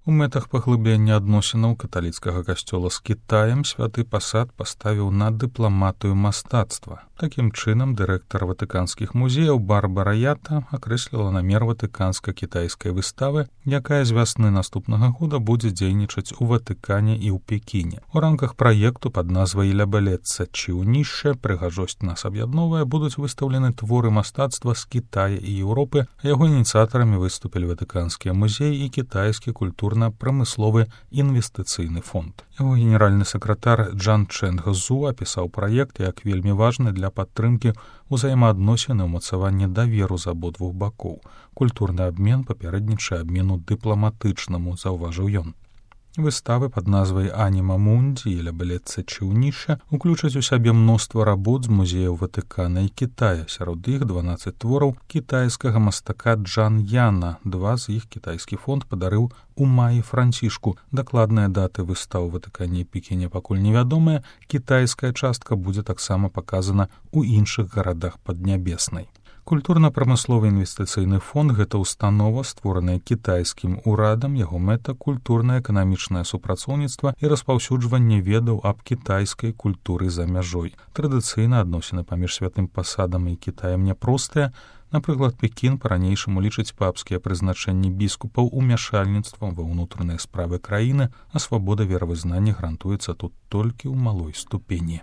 У мэтах паглыблення адносінаў каталіцкага касцёла з Кітаем святы пасад паставіў на дыпламатыю мастацтва. Такім чынам, дырэктар ватыканскіх музеяў Барбара Ята акрэсліла намер ватыканска-кітайскай выставы, якая з вясны наступнага года будзе дзейнічаць у Ватыкане і ў Пекіне. У рамках праекту пад назвай «Ля белеца чіўнішча» «Прыгажосць нас аб'ядновая» будуць выстаўлены творы мастацтва з Кітая і Еўропы, а яго ініцыятарамі выступілі ватыканскія музеі і кітайскі культурна-прамысловы інвестыцыйны фонд. Яго генеральны сакратар Джан Чэнг Зу апісаў праект як вельмі важны для падтрымкі ўзаемаадносін і ўмацавання даверу з абодвух бакоў. Культурны абмен папярэднічае абмену дыпламатычнаму, заўважыў ён. Выставы пад назвай «Аніма Мунді» і «Ля белеца чіўнішча» уключаць у сябе мноства работ з музеяў Ватыкана і Кітая. Сярод іх 12 твораў кітайскага мастака Джан Яна. 2 з іх кітайскі фонд падарыў у маі Францішку. Дакладныя даты выстаў у Ватыкане і Пекіне пакуль невядомыя. Кітайская частка будзе таксама паказана ў іншых гарадах Паднябеснай. Культурна-прамысловы інвестыцыйны фонд – гэта установа, створаная кітайскім урадам, яго мэта – культурна-эканамічнае супрацоўніцтва і распаўсюджванне ведаў аб кітайскай культуры за мяжой. Традыцыйна адносіны паміж святым пасадам і Кітаем няпростыя. Напрыклад, Пекін па-ранейшаму лічыць папскія прызначэнні біскупаў умяшальніцтвам ва ўнутраныя справы краіны, а свабода веравызнання гарантуецца тут толькі ў малой ступені.